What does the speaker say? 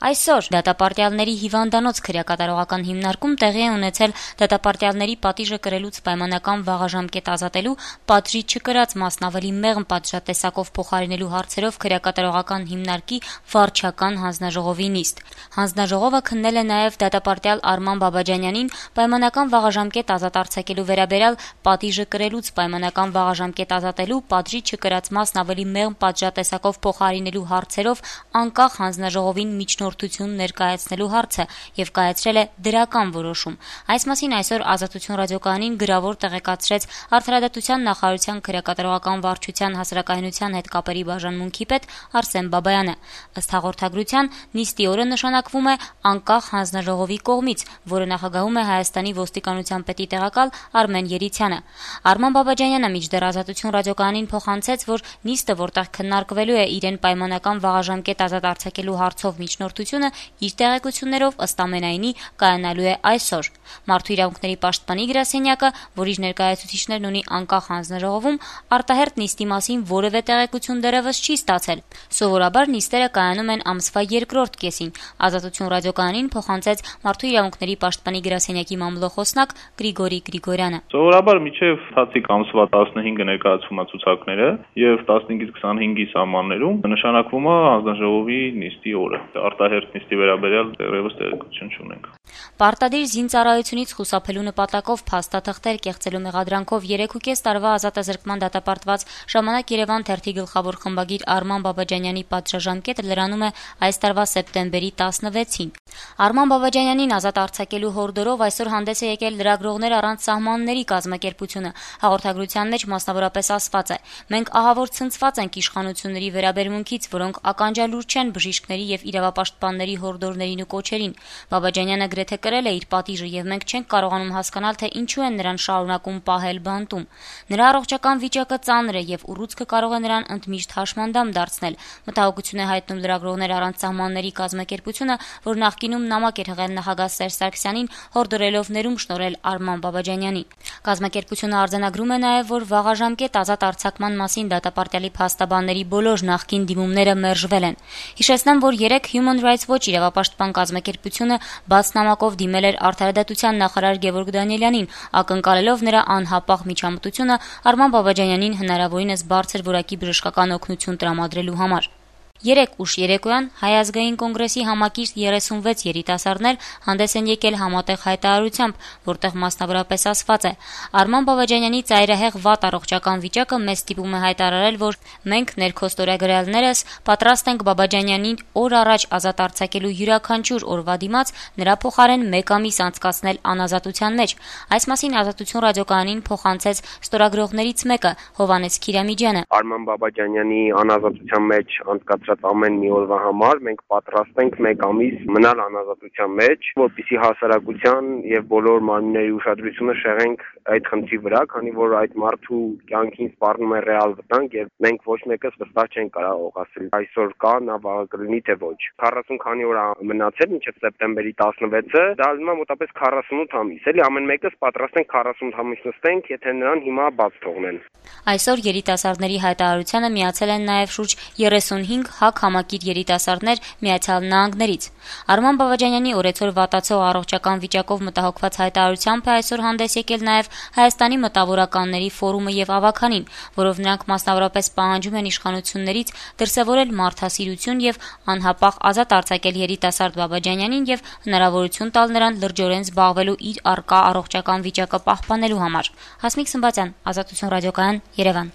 Այսօր դատապարտյալների հիվանդանոց քրեակատարողական հիմնարկում տեղի է ունեցել դատապարտյալների պատիժը կրելուց պայմանական վաղաժամկետ ազատելու, պատժի չկրած մասն ավելի մեղմ պատժատեսակով փոխարինելու հարցերով քրեակատարողական հիմնարկի վարչական հանձնաժողովի նիստ։ Հանձնաժողովը քննել է նաև դատապարտյալ Արման Բաբաջանյանին պայմանական վաղաժամկետ ազատ արձակելու վերաբերյալ պատիժը կրելուց պայմանական վաղաժամկետ ազատելու, պատժի չկրած մասն ավելի մեղմ պատժատեսակով փոխարինելու հարցերով անկախ հանձնաժողովին միջնորդություն ներկայացնելու հարցը եւ կայացրել է դրական որոշում։ Այս մասին այսօր Ազատություն ռադիոկայանին գրավոր տեղեկացրեց Արդարադատության նախարարության քրեակատարողական վարչության հասարակայնության հետ կապերի բաժանմունքի պետ Արսեն Բաբայանը։ Ըստ հաղորդագրության, նիստի օրը նշանակվում է անկախ հանձնաժողովի կողմից, որը նախագահում է Հայաստանի ոստիկանության պետի տեղակալ Արմեն Երիցյանը։ Արման Բաբաջանյանը մինչդեռ Ազատություն ռադիոկայանին փոխանցեց, որ նիստը, որտեղ քննարկվելու է իրեն պայմանական վաղաժամկետ ազատ արձակելու հարցով միջնորդությունը, իր տեղեկություններով ըստ ամենայնի կայանալու է այսօր։ Մարդու իրավունքների պաշտպանի գրասենյակը, որ իր ներկայացուցիչներն ունի անկախ հանձնաժողովում, արտահերթ նիստի մասին որևէ տեղեկություն դեռևս չի ստացել։ Սովորաբար նիստերը կայանում են ամսվա երկրորդ կեսին։ Ազատություն ռադիոկայանին փոխանցեց Մարդու իրավունքների պաշտպանի գրասենյակի մամլոխոսնակ Գրիգորի Գրիգորյանը։ Սովորաբար մինչև թացիկ ամսվա 15-ը ներկայացվում է ցուցակները եւ 15-ից 25-ի սահմաններում նշանակվում է հանձնաժողովի նիստի օրը։ Արտահերթ նիստի վերաբերյալ դեռևս տեղեկություն չունենք։ Պարտադիր զինծառայությունից խուսափելու նպատակով փաստաթղթեր կեղծելու մեղադրանքով 3.5 տարվա ազատազրկման դատապարտված Ժամանակ Երևան թերթի գլխավոր խմբագիր Արման Բաբաջանյանի պատժաժամկետը լրանում է այս տարվա սեպտեմբերի 16-ին։ Արման Բաբաջանյանին ազատ արձակելու հորդորով այսօր հանդես է եկել Լրագրողներ առանց սահմանների կազմակերպությունը։ Հաղորդագրության մեջ մասնավորապես ասված է. «Մենք ահավոր ցնցված ենք իշխանությունների վերաբերմունքից, որոնք ականջալուր չեն բժիշկների եւ իրավապաշտպանների հորդորներին ու կոչերին։ Բաբաջանյանը գրեթե կրել է իր պատիժը եւ մենք չենք կարողանում հասկանալ, թե ինչու են նրան շարունակում պահել բանտում։ Նրա առողջական վիճակը ծանր է եւ ուռուցքը կարող է նրան ընդմիշտ հաշմանդամ դարձնել», մտահոգություն է հայտնում Լրագրողներ առանց սահմանների կազմակերպությունը, որ նախկինում նամակ էր հղել նախագահ Սերժ Սարգսյանին, հորդորելով ներում շնորհել Արման Բաբաջանյանին։ Կազմակերպությունը արձանագրում է նաև, որ վաղաժամկետ ազատ արձակման մասին դատապարտյալի փաստաբանների բոլոր նախկին դիմումները մերժվել են։ Հիշեցնեմ, որ երեկ Human Rights Watch իրավապաշտպան կազմակերպությունը բաց նամակով դիմել էր Արդարադատության նախարար Գևորգ Դանիելյանին, ակնկալելով նրա անհապաղ միջամտությունը Արման Բաբաջանյանին հնարավորինս բարձր որակի բժշկական օգնություն տրամադրելու համար։ Երեկ ուշ երեկոյան Հայ ազգային կոնգրեսի համակիրթ 36 երիտասարդներ հանդես են եկել համատեղ հայտարարությամբ, որտեղ մասնավորապես ասված է. «Արման Բաբաջանյանի ծայրահեղ վատ առողջական վիճակը մեզ ստիպում է հայտարարել, որ մենք ներքոստորագրյալներս պատրաստ ենք Բաբաջանյանին օր առաջ ազատ արձակելու յուրաքանչյուր օրվա դիմաց նրա փոխարեն 1 ամիս անցկացնել անազատության մեջ»։ Այս մասին Ազատություն ռադիոկայանին փոխանցեց ստորագրողներից մեկը՝ Հովհաննես Քիրամիջյանը։ Արման Բաբաջանյանի անազատության մեջ անցկացրած ամեն մի օրվա համար մենք պատրաստ ենք 1 ամիս մնալ անազատության մեջ, որպեսզի հասարակության եւ բոլոր մարմինների ուշադրությունը շեղենք այդ խնդրի վրա, քանի որ այդ մարդու կյանքին սպառնում է ռեալ վտանգ եւ մենք ոչ մեկս վստահ չենք կարող ասել այսօր կա, նա վաղը կլինի թե ոչ։ 40 քանի օր մնացել մինչեւ սեպտեմբերի 16-ը, դա ալնում է մոտապես 48 ամիս, էլի ամեն մեկս պատրաստ ենք 48 ամիս նստենք, եթե նրան հիմա բաց թողնեն։ Այսօր երիտասարդների հայտարարությանը միացել են նաև շուրջ 35 ՀԱԿ համակիր երիտասարդներ Միացյալ Նահանգներից։ Արման Բաբաջանյանի օրեցօր վատացող առողջական վիճակով մտահոգված հայտարարությամբ է այսօր հանդես եկել նաև Հայաստանի մտավորականների ֆորումը եւ ավականին, որով նրանք մասնավորապես պահանջում են իշխանություններից դրսևորել մարդասիրություն եւ անհապաղ ազատ արձակել երիտասարդ Բաբաջանյանին եւ հնարավորություն տալ նրան լրջորեն զբաղվելու իր առկա առողջական վիճակը պահպանելու համար։ Հասմիկ Սմբատյան, Ազատություն ռադիոկայան, Երևան։